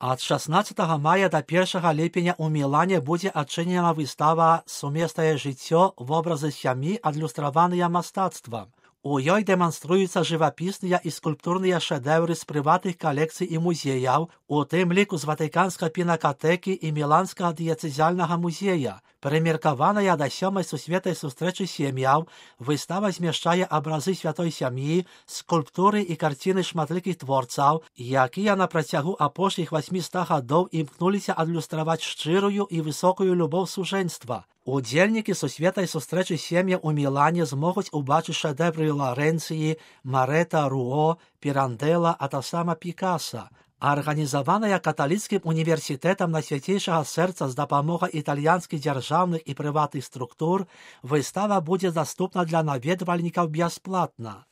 Ад 16 мая да 1 ліпеня ў Мілане будзе адчынена выстава «Сумеснае жыццё. Вобразы сям'і, адлюстраваныя мастацтвам». У ёй дэманструюцца жывапісныя і скульптурныя шэдэўры з прыватных калекцый і музеяў, у тым ліку з Ватыканскай пінакатэкі і Міланскага дыяцэзіяльнага музея. Прымеркаваная да 7-й сусветнай сустрэчы сем'яў, выстава змяшчае абразы святой сям'і, скульптуры і карціны шматлікіх творцаў, якія на працягу апошніх 800 гадоў імкнуліся адлюстраваць шчырую і высокую любоў сужэнства. Удзельнікі сусветнай сустрэчы сем'яў у Мілане змогуць убачыць шэдэвры Ларэнцыі, Марэта, Руо, Пірандэла, а таксама Пікаса. Арганізаваная каталіцкім універсітэтам Найсвяцейшага сэрца з дапамогай італьянскіх дзяржаўных і прыватных структур, выстава будзе даступна для наведвальнікаў бясплатна.